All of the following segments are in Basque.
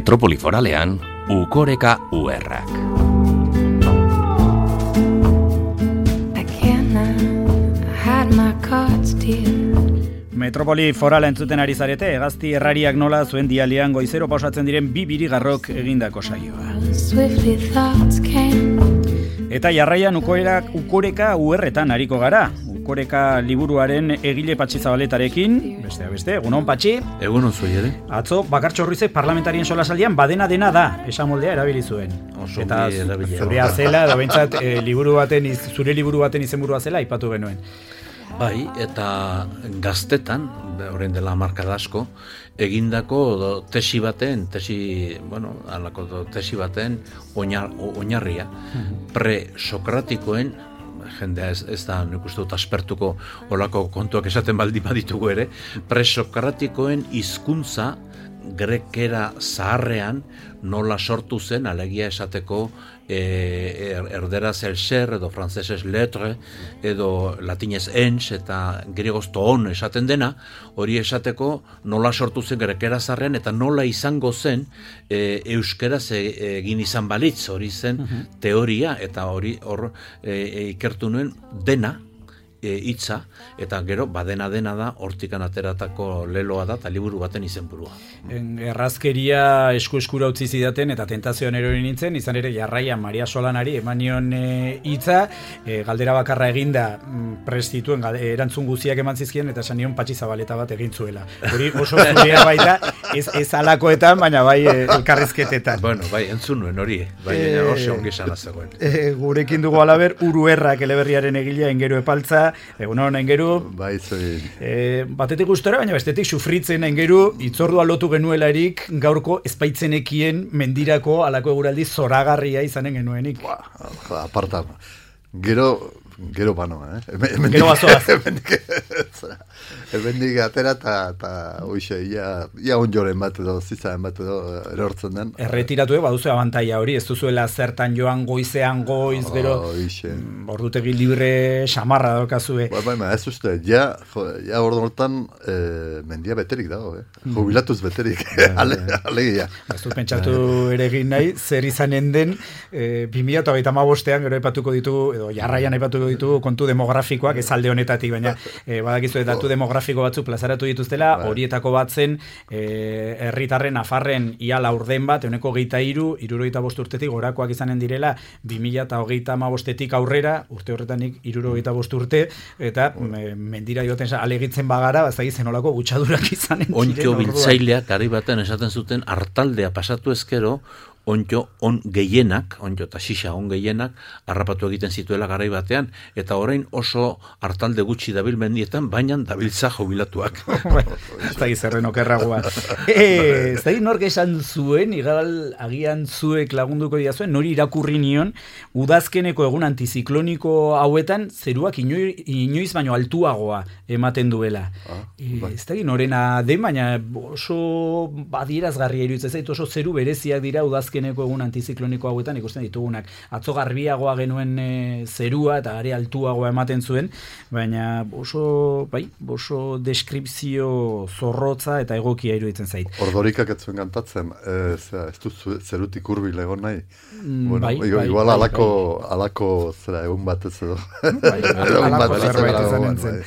Metropoli Foralean, Ukoreka URrak. Metropoli Forala entzuten ari zarete, Hegazti Errariak nola zuen dialian goizero pausatzen diren bi birigarrok egindako saioa. Eta jarraian Ukoreka URretan ariko gara. Ukoreka liburuaren egile Patxi Zabaletarekin, besteak beste, egunon Patxi. Egunon zuei ere. Atzo, Bakartxo Ruizek parlamentarien solasaldian badena dena da, esamoldea erabili zuen. Eta zurea zela, da behintzat, zure liburu baten izenburua zela, aipatu genuen. Bai, eta gaztetan, orain dela hamarkada asko, egindako tesi baten oinarria, pre-sokratikoen, jendea ez da nik uste dut aspertuko olako kontuak esaten baldin baditugu ere, pre-sokratikoen hizkuntza grekera zaharrean nola sortu zen, alegia esateko erderaz el ser, edo frantzesez letre, edo latinez ens, eta griegoz toon esaten dena, hori esateko nola sortu zen grekera zaharrean, eta nola izango zen euskeraz egin izan balitz, hori zen teoria, eta hori hor ikertu nuen dena, hitza, eta gero badena da hortikan ateratako leloa da eta liburu baten izenburua. Errazkeria eskura utzi zidaten eta tentazioan erori nintzen, izan ere jarraian Maria Solanari emanion hitza, galdera bakarra eginda prestituen erantzun guziak eman zizkien eta esan nion Patxi Zabaleta bat egin zuela. Hori oso zurea baita, ez alakoetan, baina bai elkarrizketetan. Bueno, bai, entzun nuen hori, bai, hori ongi esan zegoen. Gurekin dugu alaber, Uruerrak eleberriaren egilea Engeru Epaltza. Egunon, Engeru. Bai, zoi. Batetik gustora, baina bestetik sufritzen Engeru, itzordua lotu genuelarik gaurko espaitzenekien mendirako alako eguraldi zoragarria izanen genuenik. Aparta, gero bano, Gero bazoaz. Ebendik atera eta hoxe, ia onjoren bat edo, zizaren bat edo erortzen den. Erretiratu baduzu abantaia hori, ez duzuela zertan joan goizean goiz, gero ordutegi libre xamarra daukazue. Baina, ez uste, ja ordu hortan mendia beterik dago, jubilatuz beterik, alegia. Ez dut pentsatu ere egin nahi, zer izanen den 2025ean gero aipatuko ditugu, edo jarraian aipatuko ditugu kontu demografikoak, ez alde honetatik, baina badakizu datu demografiko batzu plazaratu dituztela, horietako bat zen herritarren Nafarren ia laurden bat, 73 urtetik gorakoak izanen direla 2035etik aurrera, urte horretanik 75 urte, eta mendira joten alegitzen bagara, ez da izen olako gutxadurak izanen diren. Ontxo biltzaileak gari baten esaten zuten hartaldea pasatu ezkero, ontxo on gehienak, ontxo eta xixa on gehienak, harrapatu egiten zituela garai batean, eta orain oso hartalde gutxi dabil mendietan, baina dabiltza jubilatuak. Ez da gizerren okerragoa. Ez da nork esan zuen, agian zuek lagunduko dira zuen, nori irakurri nion, udazkeneko egun antizikloniko hauetan, zeruak inoiz baino altuagoa ematen duela. Ez da norena den, baina oso badierazgarria iruditzen zait, oso zeru bereziak dira udazkeneko egun antizikloniko hauetan ikusten ditugunak. Atzo garbiagoa genuen zerua eta are altuagoa ematen zuen, baina oso deskripzio zorrotza eta egokia iruditzen zait. Ordorikak ez zuen kantatzen, ez du zerutik hurbil egon nahi. Igual alako zera egun batez edo. Alako zerbait izanen zen.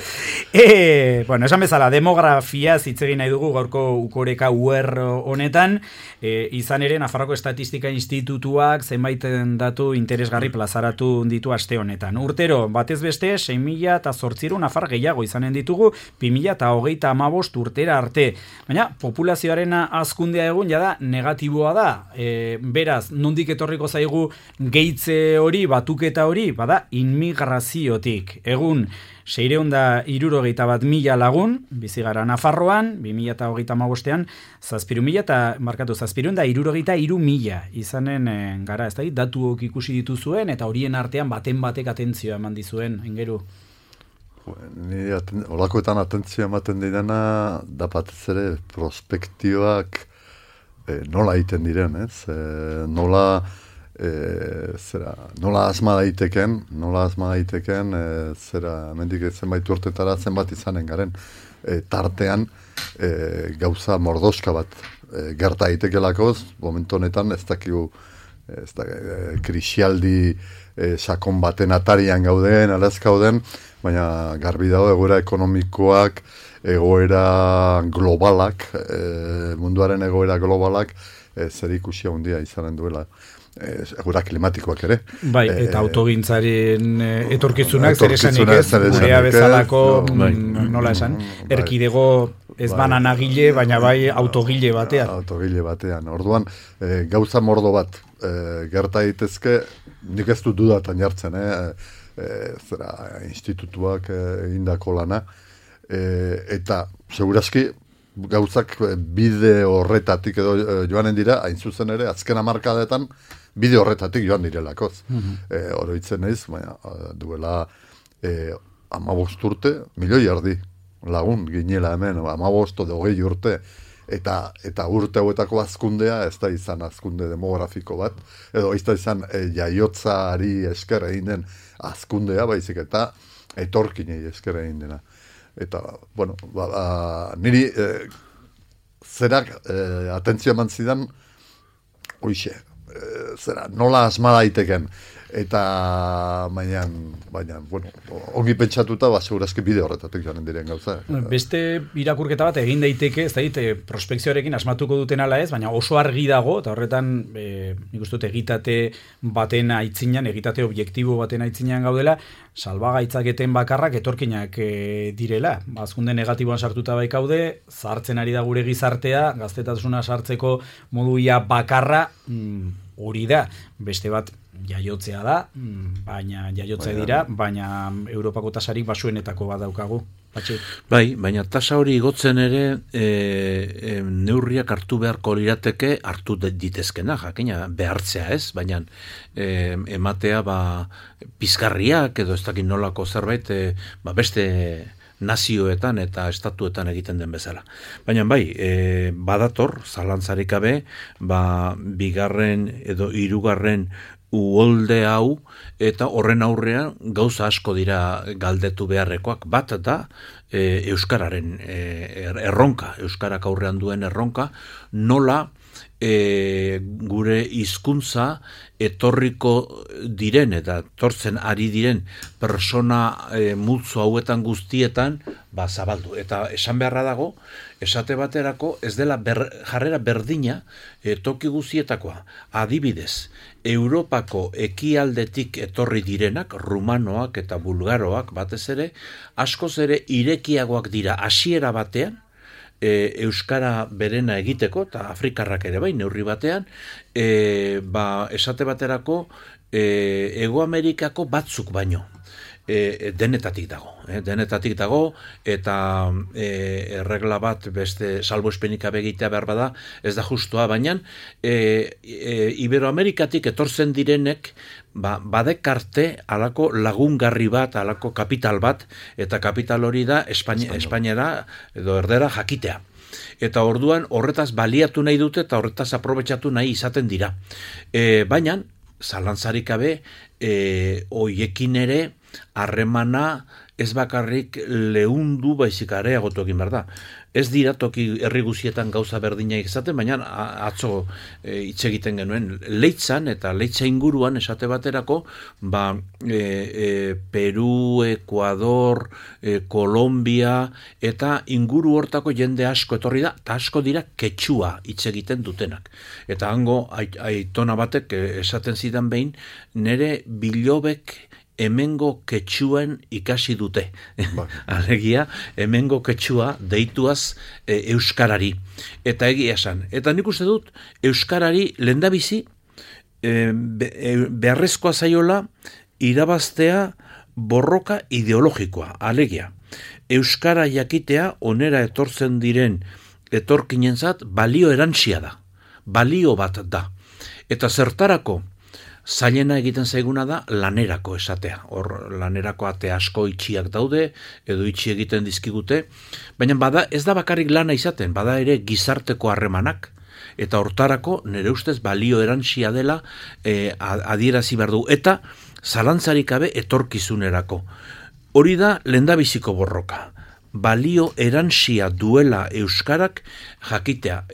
Bueno, esan bezala, demografia zitzegin nahi dugu gaurko Ukoreka UR honetan, izan ere Nafarroko Estatistika Institutuak zenbaiten datu interesgarri plazaratu ditu aste honetan. Urtero, batez beste, 6.800 nafar gehiago izanen ditugu 2025 urtera arte. Baina, populazioaren hazkundea egun jada negatiboa da. Beraz, nondik etorriko zaigu gehitze hori, batuketa hori, bada inmigraziotik. Egun, 671.000 lagun, bizigara Nafarroan, 2025ean, 763.000 izanen gara, ez da, datuok ikusi dituzuen, eta horien artean batek atentzioa eman dizuen, Engeru. Olakoetan atentzioa ematen didana, da batez ere prospektioak nola egiten diren, ez? Nola asma daiteken, zera, mendik zenbait urtetara zenbat izanen garen. tartean gauza mordoska bat gerta daitekeelakoz, momentu honetan ez dakigu krisialdi sakon baten atarian gauden, alaz gauden, baina garbi dago egoera ekonomikoak, egoera globalak, munduaren egoera globalak, zer ikusia handia izanen duela. Egoera klimatikoak ere. Bai, eta autogintzaren etorkizunak zer esanik ez, gurea bezalako, nola esan, erkidego ez bananagile, baina bai autogile batean. Autogile batean. Orduan, gauza mordo bat gerta daitezke, nik ez dut dudatan jartzen, zera institutuak egindako lana, eta segurazki gauzak bide horretatik edo joanen dira, hain zuzen ere, azken hamarkadetan bide horretatik joan direlakoz. Oroitzen naiz, baina duela 15 urte, 1,000,000 erdi lagun ginela hemen, 15 edo 20 urte, eta urte hauetako azkundea ez da izan azkunde demografiko bat, edo ez da izan jaiotzari esker egin den azkundea, baizik eta etorkinei esker egin dena. Eta, bueno, niri zerak atentzio eman zidan, hoixe, nola asma daiteken. Eta, baina, bueno, ongi pentsatuta, segurazki bide horretatik joanen diren gauza. Beste irakurketa bat egin daiteke, ez da, prospekzioarekin asmatuko duten ala ez, baina oso argi dago, eta horretan, nik uste dut egitate baten aitzinan, egitate objektibo baten aitzinan gaudela, salbagaitzaketen bakarrak etorkinak direla. Azkunde negatiboan sartuta baikaude, zahartzen ari da gure gizartea, gaztetasuna sartzeko moduia bakarra, hori da, beste bat jaiotzea da, baina baina Europako tasarik basuenetako bat daukagu. Bai, baina tasa hori igotzen ere neurriak hartu beharko lirateke hartu ditezkena, jakina behartzea ez, baina ematea pizgarriak edo ez dakit nolako zerbait beste nazioetan eta estatuetan egiten den bezala. Baina bai, badator, zalantzarik gabe, bigarren edo hirugarren uholde hau, eta horren aurrean gauza asko dira galdetu beharrekoak. Bat da, euskararen erronka, euskarak aurrean duen erronka, nola gure hizkuntza etorriko diren eta etortzen ari diren persona multzo hauetan guztietan zabaldu. Eta esan beharra dago, esate baterako ez dela jarrera berdina toki guztietakoa. Adibidez, Europako ekialdetik etorri direnak, rumanoak eta bulgaroak batez ere, askoz ere irekiagoak dira hasiera batean, euskara berena egiteko, eta afrikarrak ere bai, neurri batean, esate baterako Hego Amerikako batzuk baino. Denetatik dago, eta erregla bat beste salbuespenik abegitea behar bada, ez da justua, baina Iberoamerikatik etortzen direnek badekarte alako lagungarri bat, alako kapital bat, eta kapital hori da Espainiara edo erdera jakitea. Eta orduan horretaz baliatu nahi dute eta horretaz aprobetxatu nahi izaten dira. Baina, zalantzarik gabe, hoiekin ere, harremana ez bakarrik leundu baizik areagotu egin behar da. Ez dira toki herri guztietan gauza berdina izaten, baina atzo hitz egiten genuen Leitzan eta Leitza inguruan esate baterako, Peru, Ekuador, Kolombia eta inguru hortako jende asko etorri da, eta asko dira ketxua hitz egiten dutenak. Eta hango aitona batek esaten zidan behin, nere bilobek hemengo ketxuan ikasi dute. Alegia, hemengo ketxua deituaz euskarari. Eta egia esan. Eta nik uste dut, euskarari lehendabizi beharrezkoa zaiola irabaztea borroka ideologikoa. Alegia, euskara jakitea onera etortzen diren etorkinentzat balio erantsia da. Balio bat da. Eta zertarako zailena egiten zaiguna da lanerako esatea. Hor lanerako ate asko itxiak daude, edo itxi egiten dizkigute, baina ez da bakarrik lana izaten, bada ere gizarteko harremanak, eta hortarako nire ustez balio erantsia dela adierazi behar du, eta zalantzarik gabe etorkizunerako. Hori da lehendabiziko borroka. balio erantsia duela euskarak jakitea,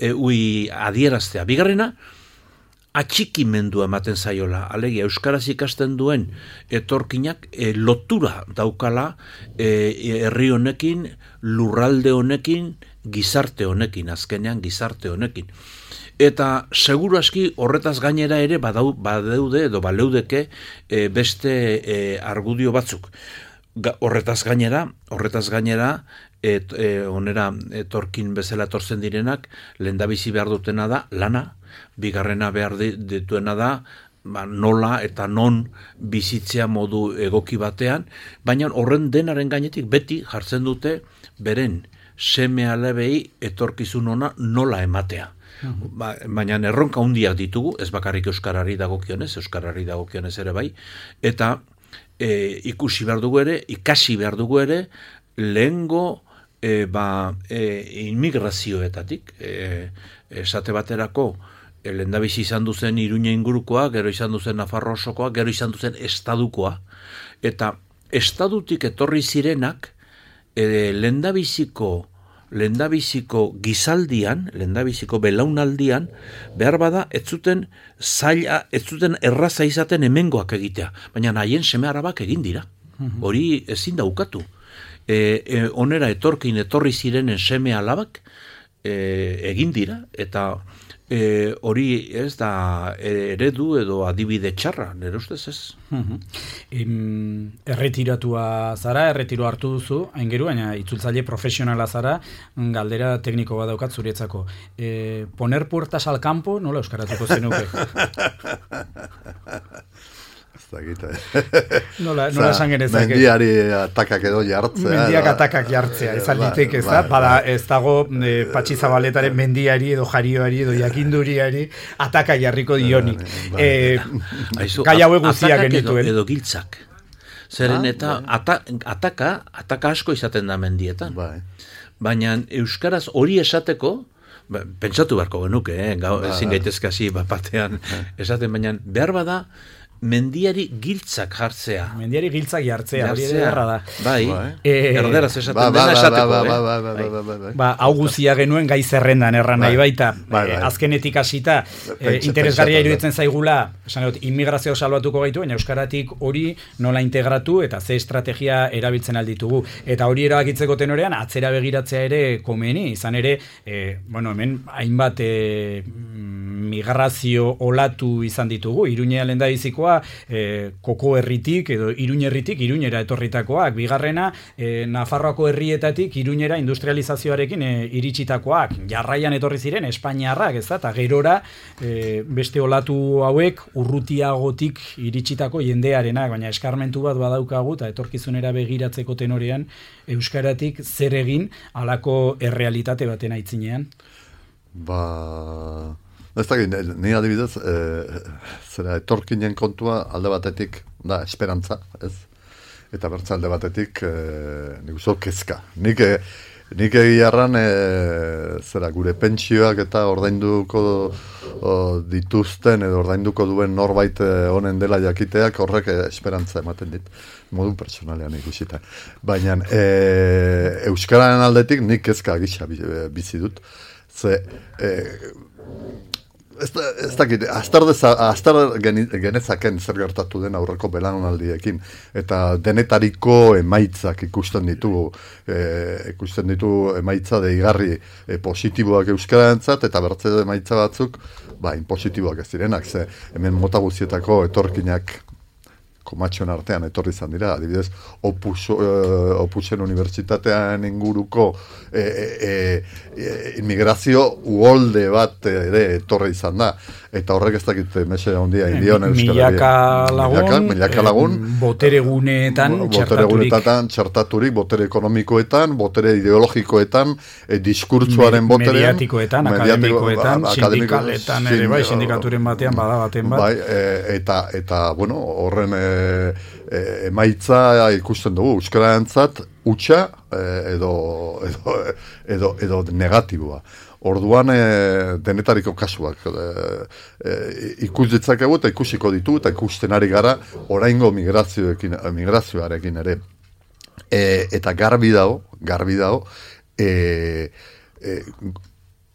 adieraztea. Bigarrena, atxikimendua ematen zaiola, alegia euskaraz ikasten duen etorkinak lotura daukala herri honekin, lurralde honekin, gizarte honekin, azkenean gizarte honekin. Eta seguru aski horretaz gainera ere badeude edo baleudeke beste argudio batzuk. Horretaz gainera, onera etorkin bezala etortzen direnak, lehendabizi behar dutena da lana, bigarrena behar dituena da nola eta non bizitzea modu egoki batean, baina horren denaren gainetik beti jartzen dute beren seme alabei etorkizun ona nola ematea. Baina erronka handiak ditugu, ez bakarrik euskarari dagokionez ere bai, eta ikasi behar dugu ere, lehengo inmigrazioetatik, esate baterako, lehendabizi izan duzen Iruña ingurukoa, gero izan duzen Nafarroa osokoa, gero izan duzen estadukoa, eta estadutik etorri zirenak, lehendabiziko gizaldian, lehendabiziko belaunaldian, behar bada, ez zuten erraza izaten hemengoak egitea, baina haien seme arabak egin dira. Hori ezin da ukatu. Onera etorri zirenen seme alabak egin dira, eta hori ez da eredu edo adibide txarra, nire ustez ez. Erretiratua zara, erretiro hartu duzu, aingeru, baina itzultzaile profesionala zara, galdera tekniko bat daukat zuretzako. Poner puertas al campo, nola euskaratuko zenuke? Nola esan genezake? Mendiari atakak edo jartzea. Mendiak atakak jartzea, ez alditek ez da, bada ez dago Patxi Zabaletaren mendiari edo jarioari edo jakinduriari ataka jarriko dionik. Gai haue guztiak genituen. Edo giltzak. Zeren eta ataka asko izaten da mendietan. Baina euskaraz hori esateko, pentsatu beharko genuke, ezin gaitezke hasi batean esaten, baina behar bada mendiari giltzak jartzea. Mendiari giltzak jartzea, hori erra da. Bai, erderaz esaten dena esateko. Hau guzia genuen gai zerrendan erran nahi baita. Azkenetik hasita, interesgarria iruditzen zaigula, esan dut, inmigrazio salbatuko gaitu, baina euskaratik hori nola integratu eta ze estrategia erabiltzen alditugu. Eta hori erabakitzeko tenorean, atzera begiratzea ere komeni, izan ere, hemen hainbat migrazio olatu izan ditugu, Iruñea lehendabizikoa, Koko herritik edo Iruña herritik Iruñera etorritakoak, bigarrena Nafarroako herrietatik Iruñera industrializazioarekin iritsitakoak, jarraian etorri ziren Espainiarrak, ez da, eta gerora beste olatu hauek urrutiagotik iritsitako jendearenak, baina eskarmentu bat badaukagu eta etorkizunera begiratzeko tenorean euskaratik zer egin halako errealitate baten aitzinean. Ez da, ni adibidez, zera etorkinen kontua alde batetik da esperantza, ez? Eta bertza alde batetik nik uste kezka. Nik egiarran zera gure pentsioak eta ordainduko dituzten edo ordainduko duen norbait honen dela jakiteak horrek esperantza ematen dit, modu personalean ikusita. Baina euskararen aldetik nik kezka gisa bizi dut. Ez dakit, astar genezaken zer gertatu den aurreko belaunaldiekin, eta denetariko emaitzak ikusten ditu emaitza deigarri positiboak euskararentzat, eta bertze emaitza batzuk, inpositiboak ez direnak, ze hemen mota guztietako etorkinak komatxon artean etorri izan dira, adibidez, Opusen unibertsitatean inguruko inmigrazio uholde bat ere etorri izan da, eta horrek ez dakit mese handia indion milaka lagun, botere guneetan txertaturik, botere ekonomikoetan, botere ideologikoetan, diskurtsuaren boterean, mediatikoetan, akademikoetan, sindikaletan ere bai, sindikaturen batean badabaten bat. Eta, horren emaitza ikusten dugu, euskararentzat hutsa edo negatiboa. Orduan denetariko kasuak ikus ditzakegu eta ikusiko ditu eta ikusten ari gara oraingo migrazioarekin ere. eta garbi dago,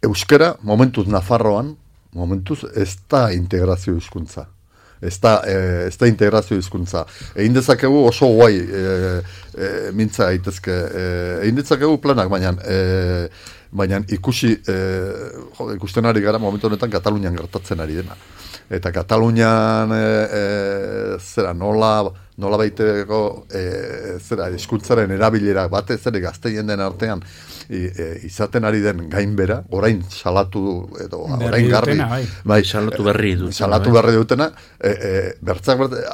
euskara, momentuz Nafarroan, ez da integrazio hizkuntza. Ez da integrazio hizkuntza. Egin dezakegu oso guai mintza daitezke. Egin dezakegu planak, baina ikusten ari gara momentu honetan Katalunian gertatzen ari dena. Eta Katalunian nola baiteko hizkuntzaren erabilera batez ere gazteien den artean izaten ari den gainbera, orain salatu edo orain garbi, salatu berri dutena,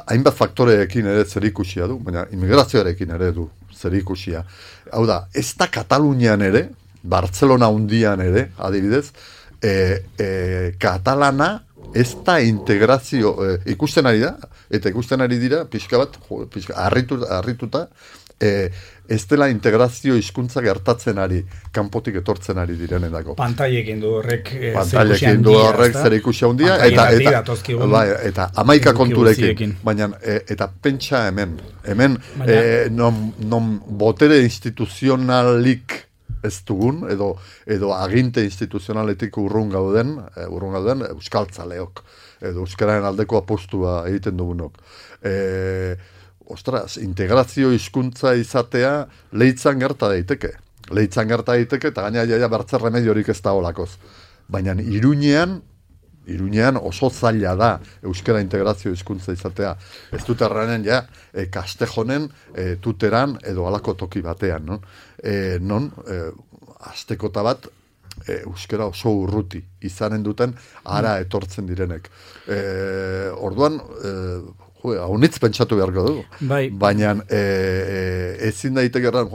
hainbat faktoreekin ere zerikusia du, baina immigrazioarekin ere du zerikusia. Hau da, ez da Katalunian ere, Bartzelona hundian ere, adibidez, katalana ez da integrazio ikusten ari da, eta ikusten ari dira, pixka bat, harrituta, ez dela integrazio hizkuntza gertatzen ari, kanpotik etortzen ari direnetako. Pantailekin du horrek zerikusia handia, eta 11 konturekin, baina eta pentsa hemen non botere instituzionalik ez dugun, edo aginte instituzionaletik urrun gauden euskaltzaleok, edo euskararen aldeko apostua egiten dugunok. Integrazio hizkuntza izatea leitzan gerta daiteke, eta gaina bertze remediorik ez da olakoz. Baina Iruñean oso zaila da euskara integrazio hizkuntza izatea. Ez dut erranen Kastejonen, Tuteran edo halako toki batean, non astekota bat euskara oso urruti izanen duten ara etortzen direnek. Orduan haunitz pentsatu beharko dugu. Baina ezin daiteke erran,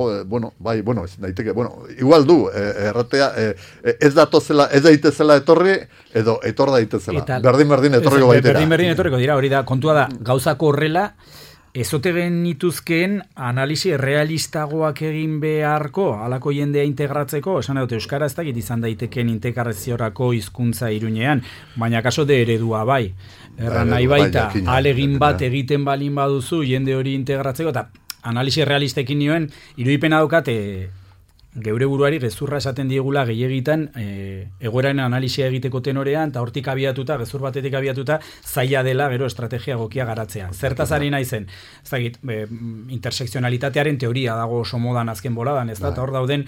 ezin daiteke, igual du, erratea, ez daitezela etorri, edo etor daitezela. Berdin etorriko baitera. Berdin etorriko dira, hori da, kontua da, gauzako horrela, ezote genituzkeen analisi realistagoak egin beharko, halako jendea integratzeko, esan dut, euskara ez dakit izan daiteken integraziorako hizkuntza Iruñean, baina kaso de eredua bai. Erran nahi baita, alegin bat egiten balin baduzu, jende hori integratzeko, eta analisi realistekin nioen, irudipena daukat, geure buruari gezurra esaten diegula gehiagitan egoeraren analisia egiteko tenorean, eta hortik abiatuta, gezur batetik abiatuta, zaila dela gero estrategia egokia garatzea. Zertaz ari naizen, ez dakit, intersekzionalitatearen teoria dago oso modan azken boladan, ez da, eta hor dauden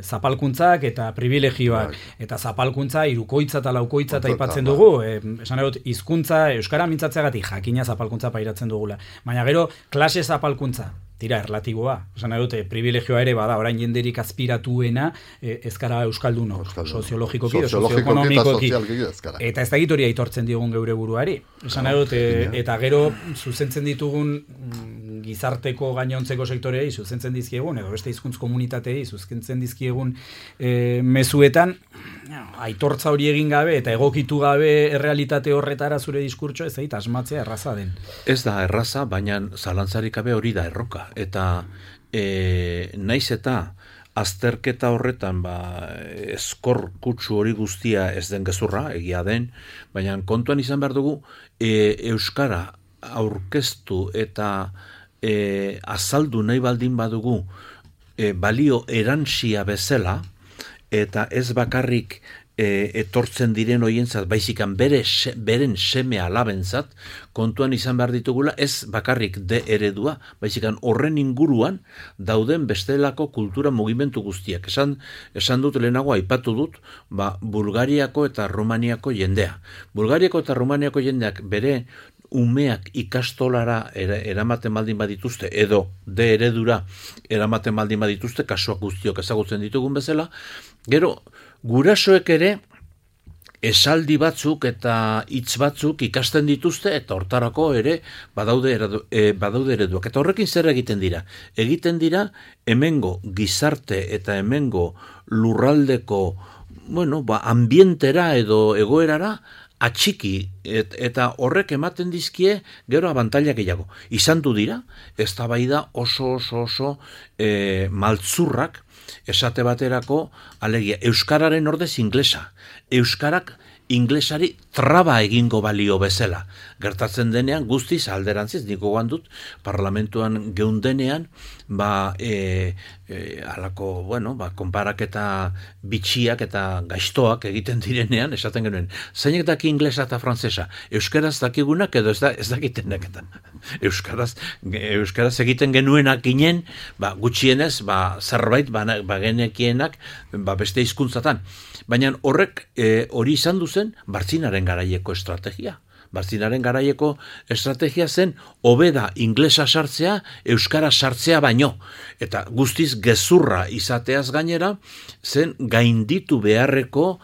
zapalkuntzak eta privilegioak, eta zapalkuntza irukoitza eta laukoitza eta aipatzen dugu, esan dut, hizkuntza euskara mintzatzeagatik jakina zapalkuntza pairatzen dugula. Baina gero, klase zapalkuntza, tira, erlatiboa. Esan dute, privilegioa ere bada, orain jenderik azpiratuena ezkara euskalduno, soziologikoki, sozioekonomikoki. Eta ez da hori aitortzen diogun geure buruari. Esan dute, eta gero zuzentzen ditugun gizarteko gainontzeko sektoreei zuzentzen dizkiegun, edo beste hizkuntz komunitatei zuzentzen dizkiegun mezuetan, aitortza hori egin gabe eta egokitu gabe errealitate horretara zure diskurtso ez zait asmatzea erraza den. Ez da erraza, baina zalantzarik gabe hori da erroka. Eta naiz eta azterketa horretan eskor kutsu hori guztia ez den gezurra, egia den, baina kontuan izan behar dugu euskara aurkeztu eta azaldu nahi baldin badugu balio erantsia bezala, eta ez bakarrik etortzen diren hoientzat, baizikan beren seme alabentzat, kontuan izan behar ditugula, ez bakarrik de eredua, baizikan horren inguruan dauden bestelako kultura mugimendu guztiak. Esan dut lehenago, aipatu dut, Bulgariako eta Rumaniako jendea. Bulgariako eta Rumaniako jendeak bere umeak ikastolara eramaten baldin badituzte, edo de eredura eramaten baldin badituzte, kasuak guztiok ezagutzen ditugun bezala, gero, gurasoek ere esaldi batzuk eta hitz batzuk ikasten dituzte, eta hortarako ere badaude ereduak. Eta horrekin zer egiten dira? Egiten dira hemengo gizarte eta hemengo lurraldeko ambientera edo egoerara atxiki, eta horrek ematen dizkie gero abantaila gehiago. Izan du dira, eztabaida oso maltzurrak, esate baterako, alegia, euskararen ordez inglesa. Euskarak inglesari traba egingo balio bezala. Gertatzen denean, guztiz alderantziz, niko dut parlamentuan geundenean, alako, konparaketa bitxiak eta gaiztoak egiten direnean, esaten genuen, zeinek daki inglesa eta frantzesa, euskaraz dakigunak edo ez dakitenek eta euskaraz egiten genuenak ginen, gutxienez, zerbait genekienak beste hizkuntzatan. Baina horrek hori izan duzen Bartzinaren garaieko estrategia. Bartzinaren garaieko estrategia zen hobeda inglesa sartzea, euskara sartzea baino. Eta guztiz gezurra izateaz gainera, zen gainditu beharreko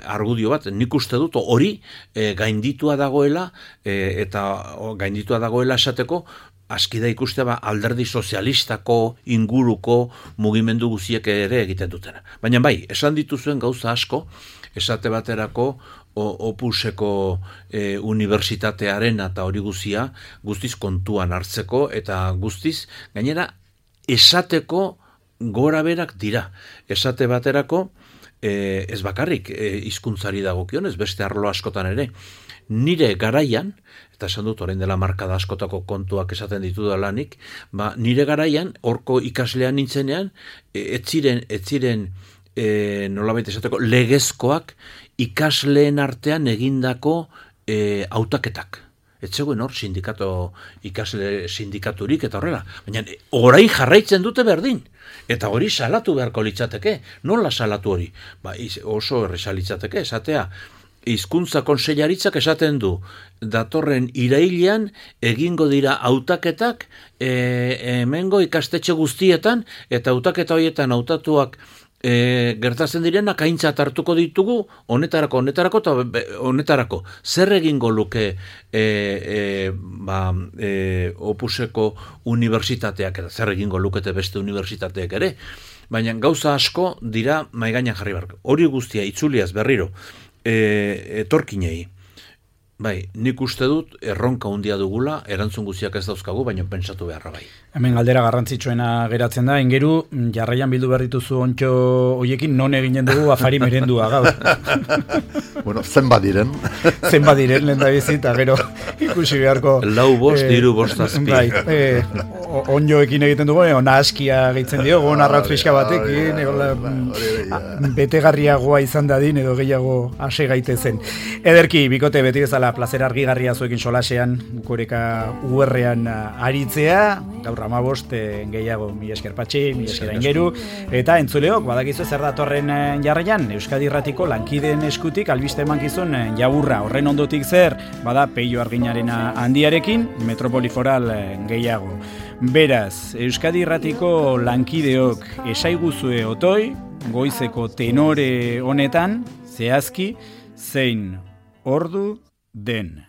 argudio bat. Nik uste dut hori gainditua dagoela, eta gainditua dagoela esateko, aski da ikustea alderdi sozialistako inguruko mugimendu guziek ere egiten dutena. Baina bai, esan dituzuen gauza asko, esate baterako Opuseko unibertsitatearen eta hori guzia guztiz kontuan hartzeko eta guztiz gainera esateko gora berak dira. Esate baterako ez bakarrik hizkuntzari dagokionez, beste arlo askotan ere. Nire garaian, eta esan dut orain dela markada askotako kontuak esaten ditu da lanik, nire garaian, horko ikaslean nintzenean, ez ziren nolabait esateko legezkoak ikasleen artean egindako hautaketak. Ez zegoen hor ikasle sindikaturik eta horrela. Baina orain jarraitzen dute berdin. Eta hori salatu beharko litzateke. Nola salatu hori? Oso erresa litzateke, esatea. Hizkuntza kontseilaritzak esaten du, datorren irailean egingo dira hautaketak hemengo ikastetxe guztietan, eta hautaketa horietan hautatuak gertatzen direnak aintzat hartuko ditugu honetarako eta honetarako. Zer egingo luke Opuseko unibertsitateak, eta zer egingo lukete beste unibertsitateak ere, baina gauza asko dira maigainan jarri barko. Hori guztia itzuliaz berriro etorkinei. Bai, nik uste dut erronka handia dugula, erantzun guztiak ez dauzkagu, baina pentsatu beharra bai. Hemen galdera garrantzitsuena geratzen da, ingeru, jarraian bildu behar dituzu ontxo hoiekin, non eginen dugu afari merendua gaur. Bueno, zenbat diren. Zenbat diren, lehen da bizita, gero ikusi beharko. 4, 5, 3, 4, 7. Bai, onjoekin egiten dugu, ona askia gehitzen dio, ona arraut fiska batekin, betegarriagoa izan dadin, edo gehiago ase gaitezen. Ederki, bikote, beti bezala, plazer argigarria zuekin solasean, Ukoreka UR-ean aritzea, gaur 15 gehiago, mi esker Patxi, mi esker Aingeru, eta entzuleok, badakizu zer datorren jarraian, Euskadi Irratiko lankideen eskutik albiste emankizun jaburra, horren ondotik zer, bada Peio Arginaren handiarekin, Metropoli Foral gehiago. Beraz, Euskadi Irratiko lankideok esaiguzue otoi, goizeko tenore honetan, zehazki, zein ordu den.